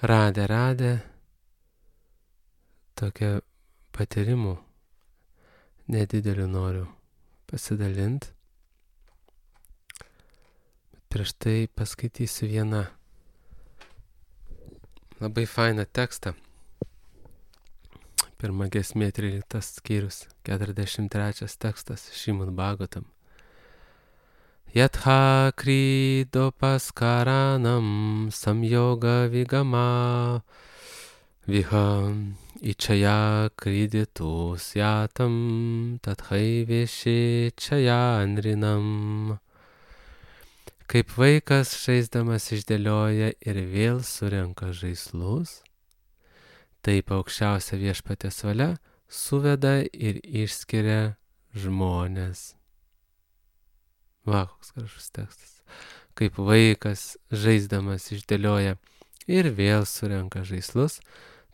radę tokią patyrimų nedidelių noriu pasidalinti. Prieš tai paskaitysiu vieną labai fainą tekstą. Pirma giesmė 13 skyrius, 43 tekstas Šrimad Bhagavatam. Yatha kridopaskaranam samyoga vigama viham ichaya kriditu syatam tathaiveshi chayanrinam. Kaip vaikas žaisdamas išdėlioja ir vėl surenka žaislus, taip aukščiausia viešpaties valia suveda ir išskiria žmones. Va, koks gražus tekstas. Kaip vaikas žaisdamas išdėlioja ir vėl surenka žaislus,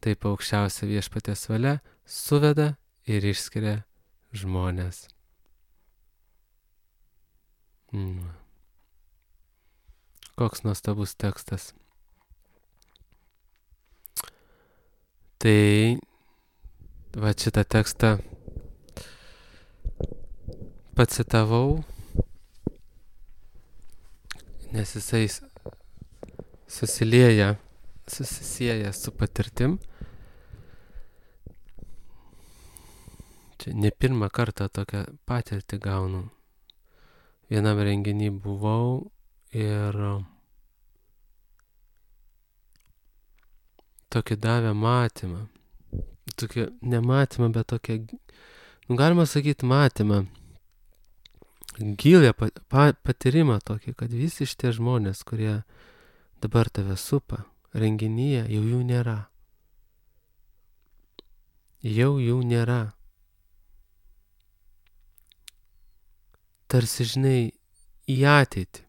taip aukščiausia viešpaties valia suveda ir išskiria žmones. Koks nuostabus tekstas. Tai va šitą tekstą pacitavau, nes jisai susisieja su patirtim. Čia ne pirmą kartą tokią patirtį gaunu. Vienam renginį buvau ir tokį davė matymą. Tokį nematymą, bet tokią, galima sakyti matymą. Gilę patyrimą tokį, kad visi šitie žmonės, kurie dabar tave supa renginyje, jau jų nėra. Jau jų nėra. Tarsi, žinai, į ateitį.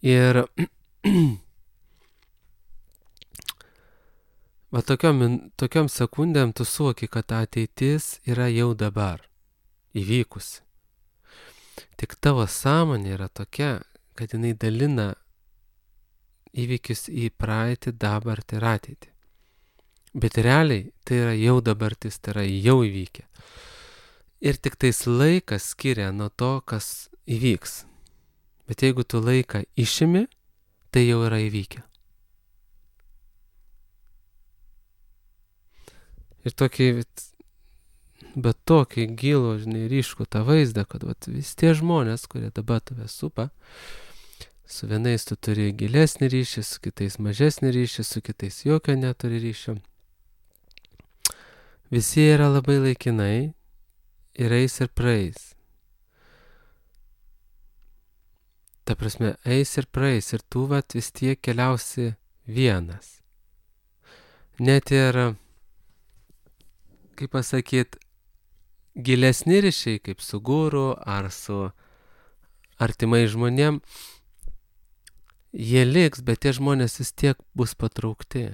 Ir va tokiom sekundėm tu suvoki, kad ateitis yra jau dabar įvykusi. Tik tavo sąmonė yra tokia, kad jinai dalina įvykius į praeitį, dabartį ir ateitį. Bet realiai tai yra jau dabartis, tai yra jau įvykę. Ir tik tais laikas skiria nuo to, kas įvyks. Bet jeigu tu laiką išimi, tai jau yra įvykę. Ir tokį gilų, žinai, ryškų tą vaizdą, kad vis tie žmonės, kurie dabar tave supa, su vienais tu turi gilesnį ryšį, su kitais mažesnį ryšį, su kitais jokio neturi ryšio. Visi yra labai laikinai ir eis ir praeis. Ta prasme, eis ir praeis ir tu vis tiek keliausi vienas. Net ir, kaip pasakyt, gilesni ryšiai, kaip su guru ar su artimai žmonėm, jie liks, bet tie žmonės vis tiek bus patraukti.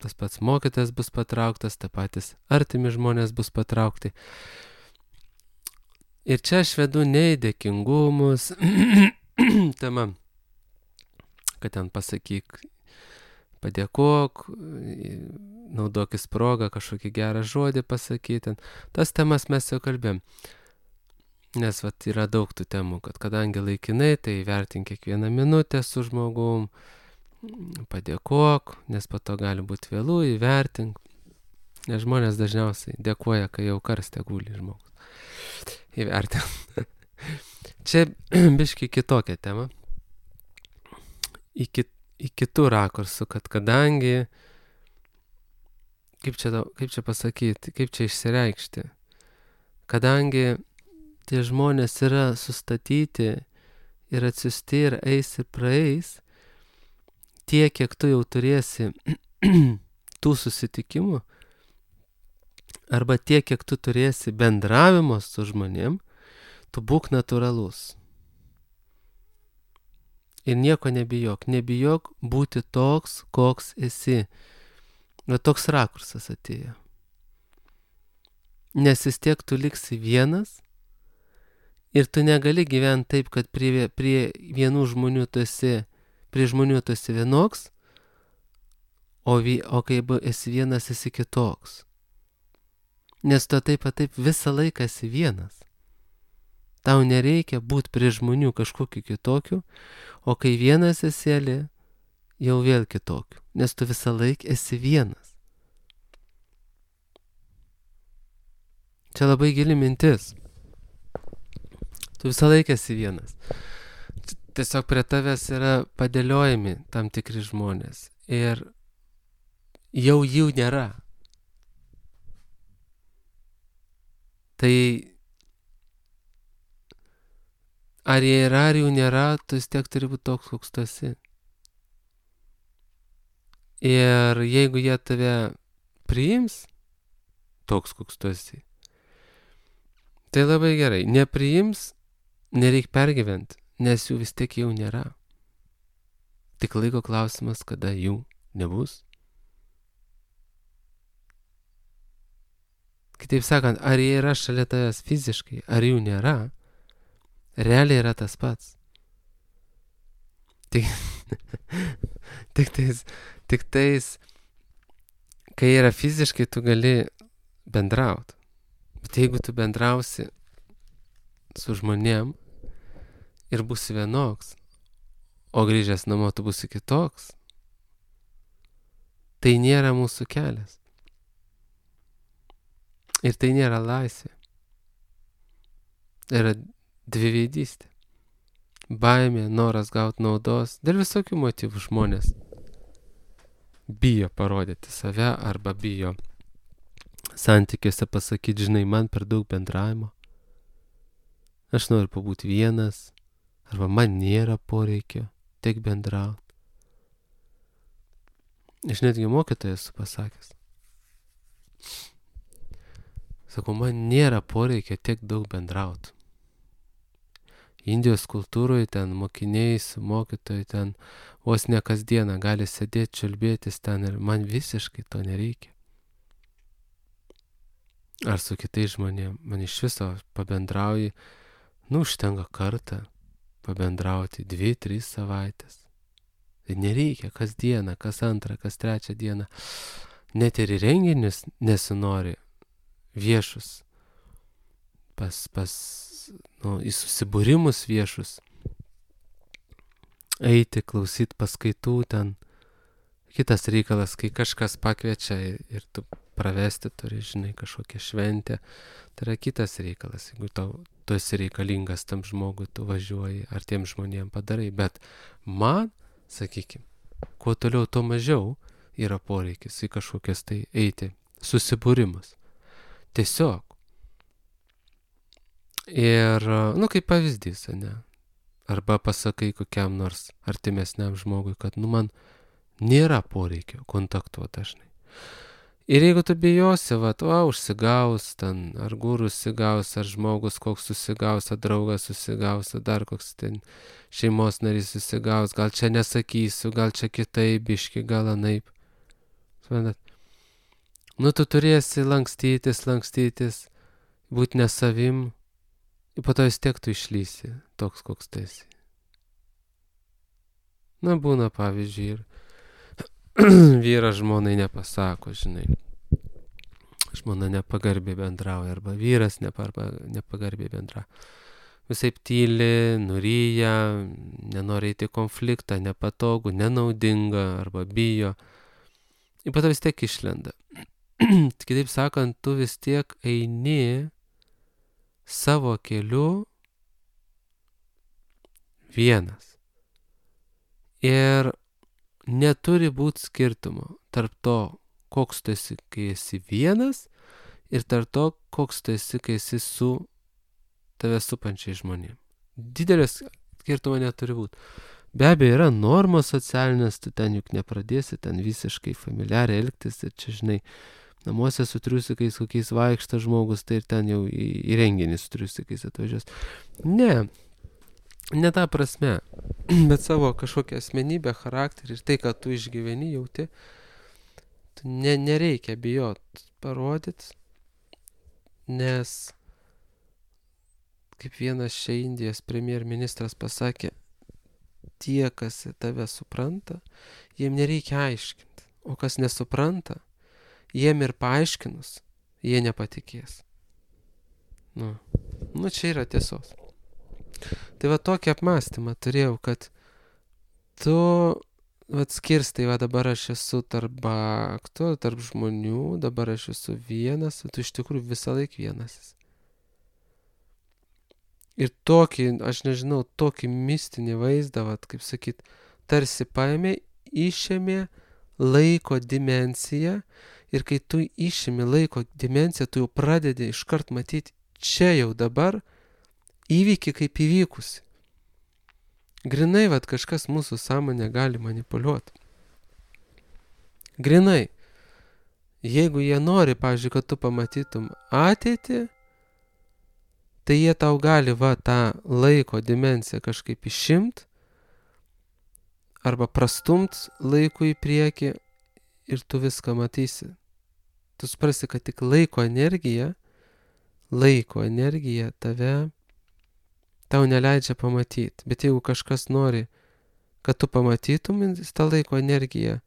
Tas pats mokytas bus patrauktas, ta patys artimi žmonės bus patraukti. Ir čia aš vedu ne į dėkingumus, tema, kad ten pasakyk, padėkok, naudokis progą, kažkokį gerą žodį pasakyti. Tas temas mes jau kalbėjom. Nes yra daug tų temų, kad kadangi laikinai, tai vertink kiekvieną minutę su žmogum, padėkok, nes po to gali būti vėlų, įvertink. Nes žmonės dažniausiai dėkoja, kai jau karste guli žmogus. Įvertink. Čia biški kitokia tema. Į kitų rakursų, kad kadangi, kaip čia pasakyti, kaip čia išsireikšti, kadangi tie žmonės yra sustatyti ir atsiusti ir eis ir praeis, tiek, kiek tu jau turėsi tų susitikimų, arba tiek, kiek tu turėsi bendravimo su žmonėm, tu būk natūralus. Ir nieko nebijok. Nebijok būti toks, koks esi. Toks rakursas atėjo. Nes vis tiek tu liksi vienas Ir tu negali gyventi taip, kad prie vienų žmonių tu esi, prie žmonių tu esi vienoks, o kai esi vienas, esi kitoks. Nes tu taip visą laiką esi vienas. Tau nereikia būti prie žmonių kažkokiu kitokiu, o kai vienas esi, jau vėl kitokiu. Nes tu visą laiką esi vienas. Čia labai gili mintis. Tu visą laiką esi vienas. Tiesiog prie tavęs yra padėliojami tam tikri žmonės. Ir jau jų nėra. Tai ar jie yra, ar jų nėra, tu vis tiek turi būti toks, koks tu esi. Ir jeigu jie tave priims, toks, koks tu esi, tai labai gerai. Nepriims, nereik pergyventi, nes jų vis tiek jau nėra. Tik laiko klausimas, kada jų nebus. Kitaip sakant, ar jie yra šalia tavęs fiziškai, ar jų nėra, realiai yra tas pats. Tik tais, kai yra fiziškai, tu gali bendrauti. Bet jeigu tu bendrausi su žmonėm ir būsi vienoks, o grįžęs namo tu būsi kitoks, tai nėra mūsų kelias. Ir tai nėra laisvė. Tai yra dviveidystė. Baimė, noras gauti naudos, dėl visokių motyvų žmonės bijo parodyti save arba bijo santykiuose pasakyti, žinai, man per daug bendravimo. Aš noriu pabūti vienas, arba man nėra poreikio tiek bendrauti. Aš netgi mokytojas esu pasakęs. Sakau, man nėra poreikio tiek daug bendrauti. Indijos kultūroje ten mokiniai su mokytojai ten vos ne kasdieną gali sėdėti, čiulbėtis ten ir man visiškai to nereikia. Ar su kitais žmonėm, man iš viso pabendrauji, užtenka kartą pabendrauti 2-3 savaitės. Tai nereikia kasdieną, kas antrą, kas trečią dieną. Net ir į renginius nesinori viešus, į susibūrimus viešus, eiti, klausyti paskaitų ten. Kitas reikalas, kai kažkas pakviečia ir tu pravesti turi, žinai, kažkokią šventę, tai yra kitas reikalas. Jeigu tu esi reikalingas tam žmogui, tu važiuoji ar tiem žmonėm padarai. Bet man, sakykime, kuo toliau, tuo mažiau yra poreikis į kažkokias tai eiti susibūrimus. Tiesiog. Ir, kaip pavyzdys, ne? Arba pasakai kokiam nors artimesniam žmogui, kad, man nėra poreikio kontaktuoti dažnai. Ir jeigu tu bijosi, užsigaus ten, ar gurus susigaus, ar žmogus koks susigaus, ar draugas susigaus, ar dar koks ten šeimos narys susigaus, gal čia nesakysiu, gal čia kitaip, biški, gal anaip. Suprantat? Tu turėsi lankstytis, būti ne savim, ir po to vis tiek tu išlysi, toks koks tu esi. Būna pavyzdžiui ir vyras žmonai nepasako, žinai. Žmona nepagarbiai bendrauja, arba vyras nepagarbiai bendrauja. Visaip tyli, nuryja, nenori eiti konfliktą, nepatogu, nenaudinga, arba bijo. Ir po to vis tiek išlenda. Kitaip sakant, tu vis tiek eini savo keliu vienas. Ir neturi būti skirtumo tarp to, koks tu esi, kai esi vienas, ir tarp to, koks tu esi, kai esi su tave supančiai žmonėm. Didelės skirtumo neturi būti. Be abejo, yra normos socialinės, tu ten juk nepradėsi ten visiškai familiariai elgtis, ir čia, žinai, namuose su triusikais kokiais vaikšta žmogus, tai ir ten jau į renginį su triusikais atvažiuos. Ne ta prasme, bet savo kažkokią asmenybę, charakterį ir tai, kad tu išgyveni, jauti, nereikia bijot parodyti, nes kaip vienas čia Indijos premjerministras pasakė, tie, kas tave supranta, jiem nereikia aiškinti. O kas nesupranta, jiem ir paaiškinus, jie nepatikės. Nu čia yra tiesos. Tai va tokį apmąstymą turėjau, kad tu skirstai, va dabar aš esu tarp baktų, tarp žmonių, dabar aš esu vienas, tu iš tikrųjų visą laiką vienas esi. Ir tokį, aš nežinau, tokį mistinį vaizdą, vat, kaip sakyt, tarsi paėmė, išėmė laiko dimensiją ir kai tu išėmė laiko dimensiją, tu jau pradedi iškart matyti čia jau dabar įvykį kaip įvykusi. Grinai, vat, kažkas mūsų sąmonę gali manipuliuoti. Grinai. Jeigu jie nori, pavyzdžiui, kad tu pamatytum ateitį, tai jie tau gali tą laiko dimensiją kažkaip išimt arba prastumt laiku į priekį ir tu viską matysi. Tu suprasi, kad tik laiko energija tau neleidžia pamatyti. Bet jeigu kažkas nori, kad tu pamatytum tą laiko energiją,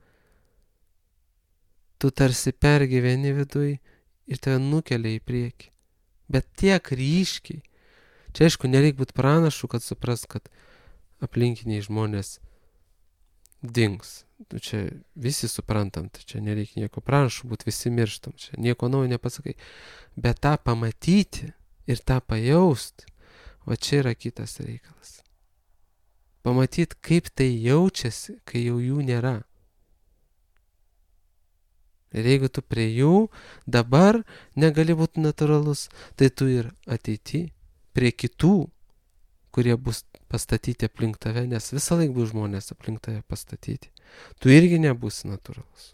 tu tarsi pergyveni viduj ir tave nukelia į priekį. Bet tiek ryškiai. Čia aišku, nereik būti pranašu, kad supras, kad aplinkiniai žmonės dings. Čia visi suprantam, tai čia nereikia nieko pranašu būti, visi mirštam. Čia nieko naujo nepasakai. Bet tą pamatyti ir tą pajausti, va čia yra kitas reikalas. Pamatyti, kaip tai jaučiasi, kai jau jų nėra. Ir jeigu tu prie jų dabar negali būti natūralus, tai tu ir ateity prie kitų, kurie bus pastatyti aplink tave, nes visą laiką bus žmonės aplink tave pastatyti. Tu irgi nebūsi natūralus.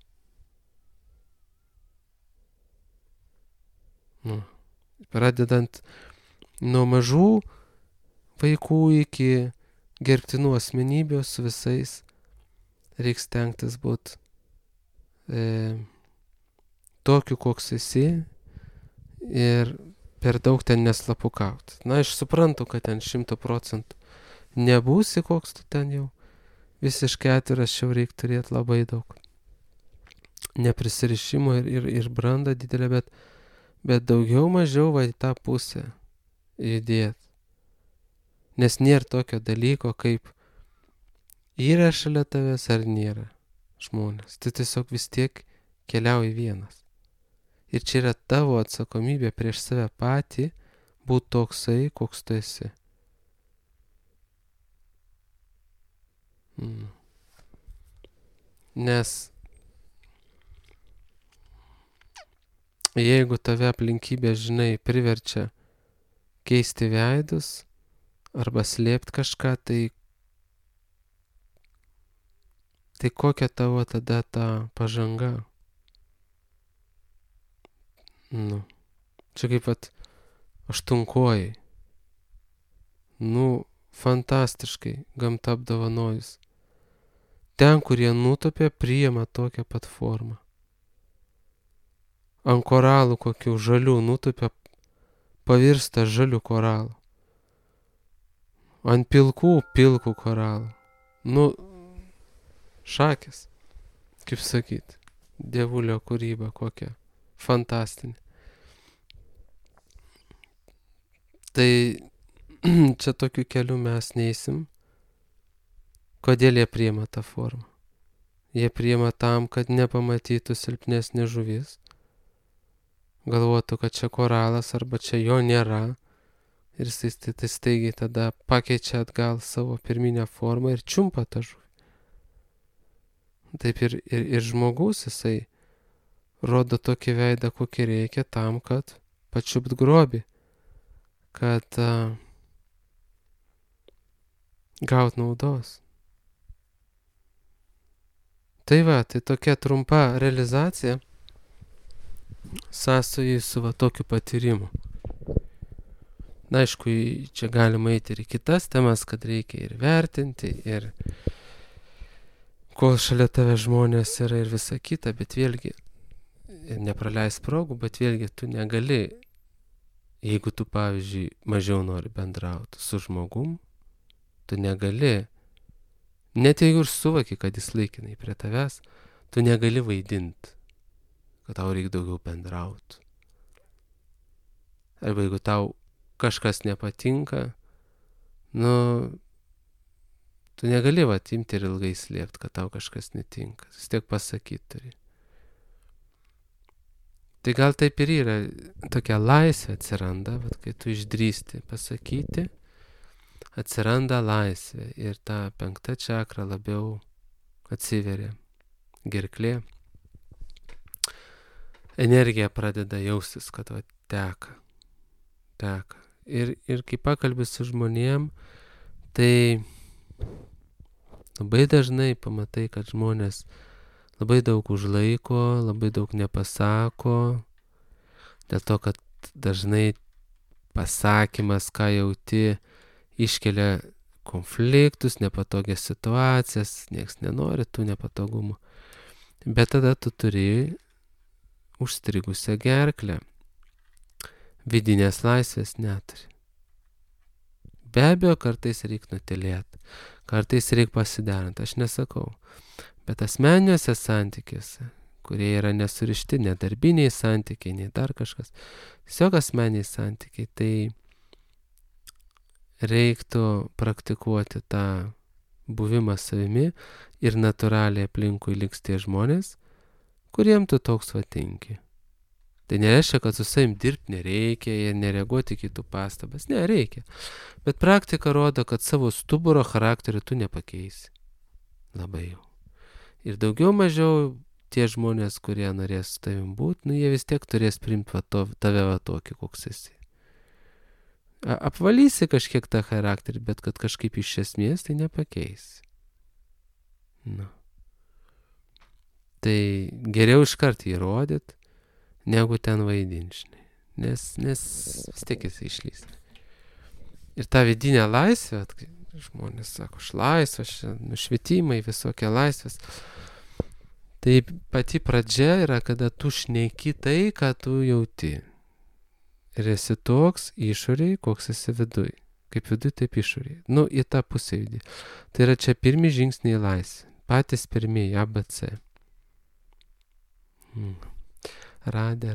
Pradedant nuo mažų vaikų iki gerbtinų asmenybių su visais, reiks stengtis būti tokiu, koks esi ir per daug ten neslapukaut. Aš suprantu, kad ten 100% nebūsi, koks tu ten jau. Visiškai atviras čia reikia turėti labai daug neprisirišimo ir brandą didelę, bet daugiau mažiau į tą pusę judėti. Nes nėra tokio dalyko, kaip yra šalia tavęs ar nėra žmonės. Tu tiesiog vis tiek keliauji vienas. Ir čia yra tavo atsakomybė prieš save patį būti toksai, koks tu esi. Nes jeigu tave aplinkybė, žinai, priverčia keisti veidus arba slėpti kažką, tai kokia tavo tada ta pažanga? Čia kaip aštunkojai. Fantastiškai gamta apdovanojus. Ten, kur jie nutopė, priima tokią pat formą. Ant koralų kokių žalių nutopė, pavirsta žalių koralų. Ant pilkų koralų. Šakės. Kaip sakyt, dievulio kūryba kokia. Fantastinė. Tai čia tokiu keliu mes neįsim. Kodėl jie priima tą formą? Jie priima tam, kad nepamatytų silpnesnė žuvis. Galvotų, kad čia koralas arba čia jo nėra. Ir jis staigiai tada pakeičia atgal savo pirminę formą ir čiumpa tą žuvį. Taip ir žmogus, jisai rodo tokį veidą, kokį reikia tam, kad pačiupt grobį, kad gaut naudos. Tai tokia trumpa realizacija sąsojai su tokiu patyrimu. Aišku, čia galima eiti ir į kitas temas, kad reikia ir vertinti, ir kol šalia tave žmonės yra ir visa kita, bet vėlgi ir nepraleis progų, bet vėlgi tu negali Jeigu tu, pavyzdžiui, mažiau nori bendrauti su žmogum, tu negali, net jeigu ir suvoki, kad jis laikinai prie tavęs, tu negali vaidinti, kad tau reikia daugiau bendrauti. Arba jeigu tau kažkas nepatinka, tu negali imti ir ilgai slėpti, kad tau kažkas netinka. Vis tiek pasakyti turi. Tai gal taip ir yra, tokia laisvė atsiranda, kai tu išdrįsti pasakyti, atsiranda laisvė ir ta 5 čakra labiau atsiveria, gerklė. Energija pradeda jaustis, kad teka. Ir kai pakalbi su žmonėm, tai labai dažnai pamatai, kad žmonės labai daug užlaiko, labai daug nepasako, dėl to, kad dažnai pasakymas, ką jauti, iškelia konfliktus, nepatogias situacijas, nieks nenori tų nepatogumų. Bet tada tu turi užstrigusią gerklę. Vidinės laisvės neturi. Be abejo, kartais reikia nutilėti, kartais reikia pasiderinti, aš nesakau. Bet asmeniniuose santykiuose, kurie yra nesurišti, nedarbiniai santykiai, nei dar kažkas, tiesiog asmeniniai santykiai, tai reiktų praktikuoti tą buvimą savimi ir natūraliai aplinkui liks tie žmonės, kuriem tu toks tinki. Tai nereiškia, kad su savim dirbti nereikia ir nereaguoti kitų pastabas. Ne, reikia. Bet praktika rodo, kad savo stuburo charakterį tu nepakeisi. Labai jau. Ir daugiau mažiau tie žmonės, kurie norės su tavim būti, jie vis tiek turės priimti tave tokį, koks esi. Apvalysi kažkiek tą charakterį, bet kad kažkaip iš esmės tai nepakeisi. Tai geriau iškart įrodyti, negu ten vaidinti, nes vis tiek jis išlys. Ir ta vidinė laisvė, žmonės sako, aš laisvas, nušvitimai, visokie laisvės. Tai pati pradžia yra, kada tu šneki tai, ką tu jauti. Ir esi toks išoriai, koks esi viduj. Kaip viduj, taip išoriai. Į tą pusę judi. Tai yra čia pirmi žingsniai laisvė. Patys pirmieji, ABC. Radė.